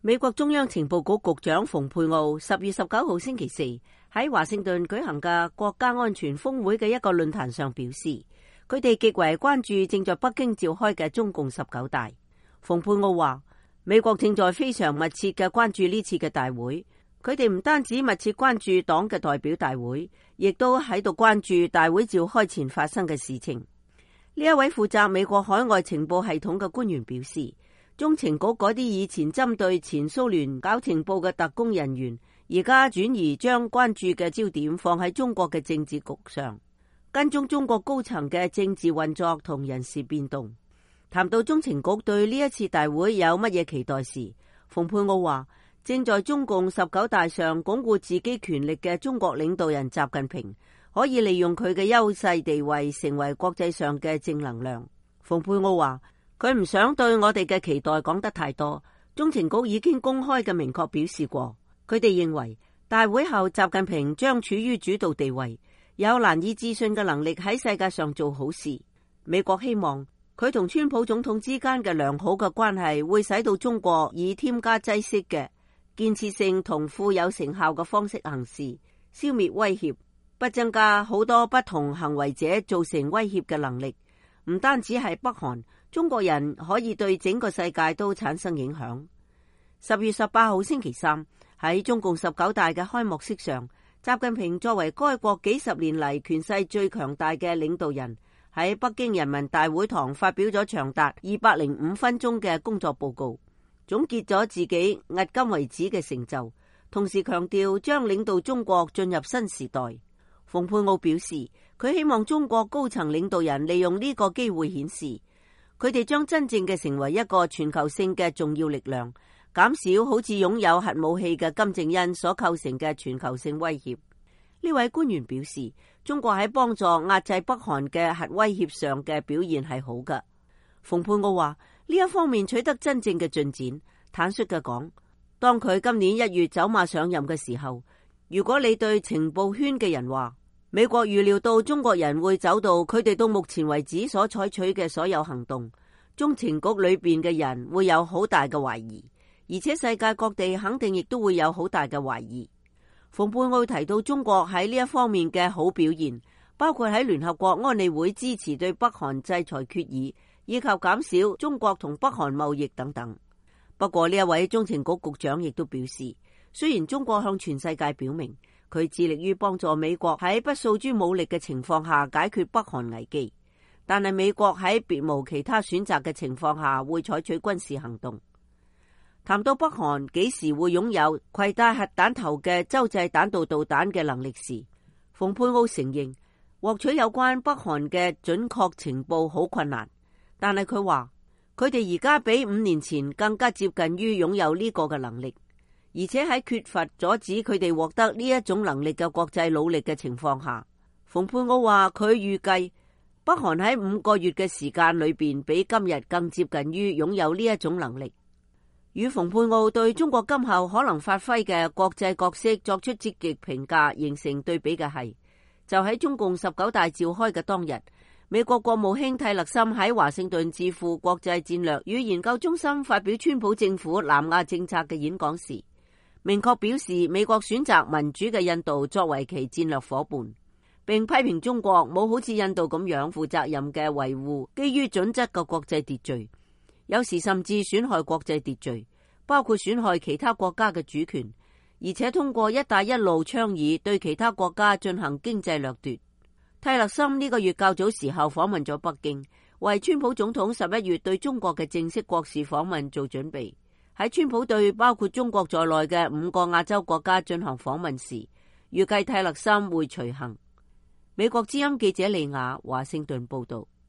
美國中央情報局局長蓬佩奧10月19號星期四喺華盛頓舉行嘅國家安全峰會嘅一個論壇上表示，佢哋極為關注正在北京召開嘅中共19大。蓬佩奧話，美國正在非常密切嘅關注呢次嘅大會，佢哋唔單止密切關注黨嘅代表大會，亦都喺度關注大會召開前發生嘅事情。呢一位負責美國海外情報系統嘅官員表示，中情局嗰啲以前針對前蘇聯搞情報嘅特工人員，而家轉移將關注嘅焦點放喺中國嘅政治局上，跟蹤中國高層嘅政治運作同人事變動。談到中情局對呢一次大會有乜嘢期待時，蓬佩奧話，正在中共19大上鞏固自己權力嘅中國領導人習近平，可以利用佢嘅優勢地位成為國際上嘅正能量。蓬佩奧話，佢唔想對我哋嘅期待講得太多，中情局已經公開嘅明確表示過，佢哋認為大會後習近平將處於主導地位，有難以置信嘅能力喺世界上做好事。美國希望佢同川普總統之間嘅良好嘅關係會使到中國以添加劑式嘅建設性同富有成效嘅方式行事，消滅威脅，不增加好多不同行為者造成威脅嘅能力。唔單止係北韓，中國人可以對整個世界都產生影響。10月18號星期三喺中共19大嘅開幕式上，習近平作為該國幾十年嚟權勢最強大嘅領導人，喺北京人民大會堂發表咗長達205分鐘嘅工作報告，總結咗自己迄今為止嘅成就，同時強調將領導中國進入新時代。蓬佩奧表示，佢希望中國高層領導人利用呢個機會顯示，佢哋將真正嘅成為一個全球性嘅重要力量，減少好似擁有核武器嘅金正恩所構成嘅全球性威脅。呢位官員表示，中國喺幫助壓制北韓嘅核威脅上嘅表現係好嘅。蓬佩奧話，呢一方面取得真正嘅進展。坦率嘅講，當佢今年1月走馬上任嘅時候，如果你對情報圈嘅人話，美國預料到中國人會走到佢哋到目前為止所採取嘅所有行動，中情局裏邊嘅人會有好大嘅懷疑，而且世界各地肯定亦都會有好大嘅懷疑。蓬佩奧提到中國喺呢一方面嘅好表現，包括喺聯合國安理會支持對北韓制裁決議，以及減少中國同北韓貿易等等。不過呢一位中情局局長亦都表示，雖然中國向全世界表明佢致力於幫助美國喺不訴諸武力嘅情況下解決北韓危機，但係美國喺別無其他選擇嘅情況下會採取軍事行動。談到北韓幾時會擁有攜帶核彈頭嘅洲際彈道導彈嘅能力時，蓬佩奧承認獲取有關北韓嘅準確情報好困難，但係佢話佢哋而家比5年前更加接近於擁有呢個嘅能力。而且喺缺乏阻止佢哋獲得呢一種能力嘅國際努力嘅情況下，蓬佩奧話佢預計北韓喺5個月嘅時間裏邊比今日更接近於擁有呢一種能力。與蓬佩奧對中國今後可能發揮嘅國際角色作出積極評價形成對比嘅係，就喺中共19大召開嘅當日，美國國務卿蒂勒森喺華盛頓智庫國際戰略與研究中心發表川普政府南亞政策嘅演講時，明確表示美國選擇民主嘅印度作為其戰略夥伴，並批評中國冇好似印度咁樣負責任嘅維護基於準則嘅國際秩序，有時甚至損害國際秩序，包括損害其他國家嘅主權，而且通過一帶一路倡議對其他國家進行經濟掠奪。蒂勒森呢個月較早時候訪問咗北京，為川普總統11月對中國嘅正式國事訪問做準備。喺川普對包括中國在內嘅5個亞洲國家進行訪問時，預計蒂勒森會隨行。美國之音記者利亞華盛頓報道。